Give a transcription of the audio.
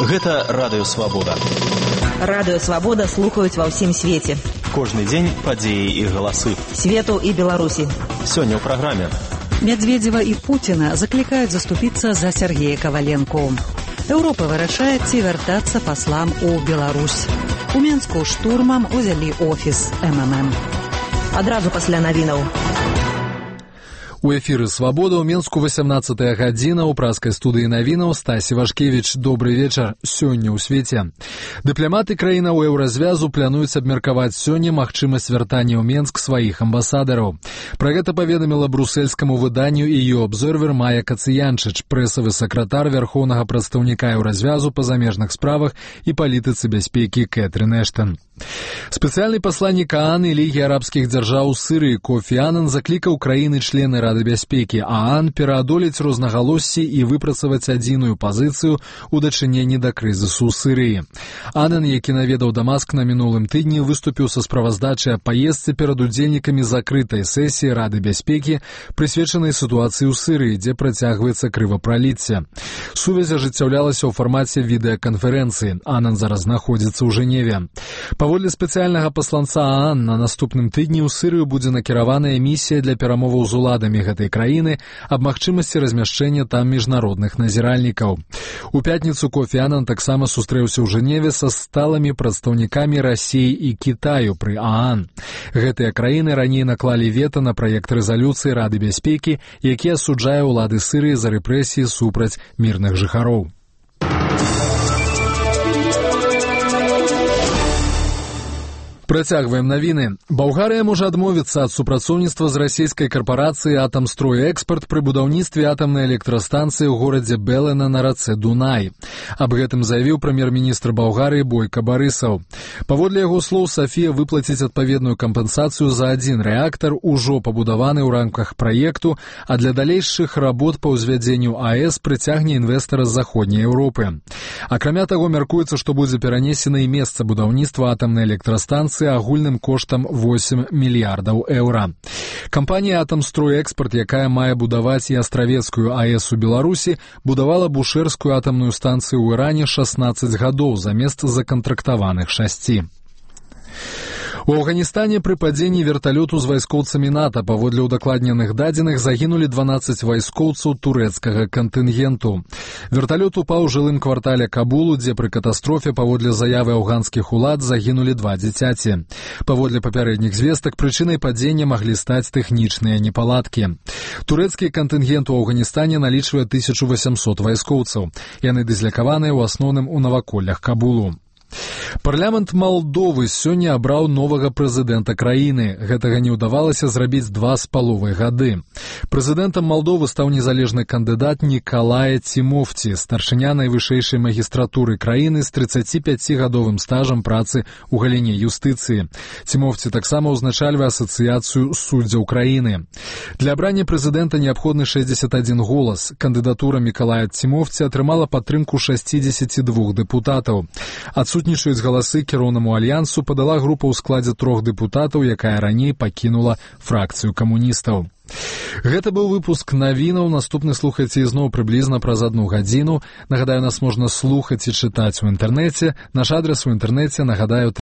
Гэта Радыё Свабода. Радыё Свабода слухаюць ва ўсім свеце. Кожны дзень падзеі і галасы. Свету і Беларусі. Сёння ў праграме. Медведзева і Пуціна заклікаюць заступіцца за Сергея Каваленко. Еўропа вырашае, ці вяртацца паслам у Беларусь. У Менску штурмам узялі офіс МММ. Адразу пасля навінаў. У эфіры «Свабода» ў Менску 18 гадзіна. У праскай студыі навінаў Стась Івашкевіч. Добры вечар. Сёння ў свеце. Дыпламаты краінаў еўразвязу плануюць абмеркаваць сёння магчымасць вяртання ў Менск сваіх амбасадараў. Пра гэта паведаміла брусельскаму выданню EU Observer Майя Кацыянчыч, прэсавы сакратар вярхоўнага прадстаўніка еўразвязу па замежных справах і палітыцы бяспекі Кэтрын Эштон. Спецыяльны пасланнік ААН і Лігі арабскіх дзяржаў у Сырыі Кофі Анан заклікаў краіны-члены Рады бяспекі ААН пераадолець рознагалоссі і выпрацаваць адзіную пазіцыю ў дачыненні да крызісу ў Сырыі. Анан, які наведаў Дамаск на мінулым тыдні, выступіў са справаздачай аб паездцы перад удзельнікамі закрытай сесіі Рады бяспекі, прысвечанай сітуацыі ў Сырыі, дзе працягваецца крывапраліцце. Сувязь ажыццяўлялася ў фармаце відэаканферэнцыі. Анан зараз знаходзіцца ў Жэневе. Паводле спецыяльнага пасланца ААН, на наступным тыдні ў Сырыю будзе накіраваная місія для перамоваў з уладамі гэтай краіны аб магчымасці размяшчэння там міжнародных назіральнікаў. У пятніцу Кофі Анан таксама сустрэўся ў Жэневе са сталымі прадстаўнікамі Расіі і Кітаю пры ААН. Гэтыя краіны раней наклалі вета на праект рэзалюцыі Рады бяспекі, які асуджае ўлады Сырыі за рэпрэсіі супраць мірных жыхароў. Працягваем навіны. Балгарыя можа адмовіцца ад супрацоўніцтва з расійскай карпорацыяй «Атамстройэкспарт» пры будаўніцтве атамнай электрастанцыі ў горадзе Белена на рацэ Дунай. Аб гэтым заявіў прэм'ер-міністр Балгарыі Бойка Барысаў. Паводле яго слоў, Сафія выплаціць адпаведную кампенсацыю за адзін рэактар, ужо пабудаваны ў рамках праекту, а для далейшых работ па ўзвядзенню АЭС прыцягне інвестара з заходняй Еўропы. Акрамя таго, мяркуецца, што будзе перанесена і месца будаўніцтва атамнай электрастанцыі агульным коштам 8 мільярдаў еўра. Кампанія «Атамстройэкспарт», якая мае будаваць і астравецкую АЭС у Беларусі, будавала бушэрскую атамную станцыю ў Іране 16 гадоў замест закантрактаваных 6. У Афганістане пры падзенні верталёту з вайскоўцамі НАТО, паводле ўдакладненых дадзеных, загінулі 12 вайскоўцаў турэцкага кантынгенту. Верталёт упаў у жылым квартале Кабулу, дзе пры катастрофе, паводле заявы афганскіх улад, загінулі 2 дзіцяці. Паводле папярэдніх звестак, прычынай падзення маглі стаць тэхнічныя непаладкі. Турэцкі кантынгент у Афганістане налічвае 1800 вайскоўцаў. Яны дызлякаваныя ў асноўным у наваколлях Кабулу. Парламент Малдовы сёння абраў новага прэзідэнта краіны. Гэтага не ўдавалася зрабіць 2,5 гады. Прэзідэнтам Малдовы стаў незалежны кандыдат Нікалая Цімофці, старшыня найвышэйшай магістратуры краіны з 35-гадовым стажам працы ў галіне юстыцыі. Цімофці таксама ўзначальвае асацыяцыю суддзяў краіны. Для абрання прэзідэнта неабходны 61 голас. Кандыдатура Мікалая Цімофці атрымала падтрымку 62 дэпутатаў. Адсутнічаюць галасы кіроўнаму альянсу падала група ў складзе 3 дэпутатаў, якая раней пакінула фракцыю камуністаў. Гэта быў выпуск навінаў. Наступны слухайце ізноў прыблізна праз 1 гадзіну. Нагадаю, нас можна слухаць і чытаць у інтэрнэце. Наш адрес у інтэрнэце, нагадаю,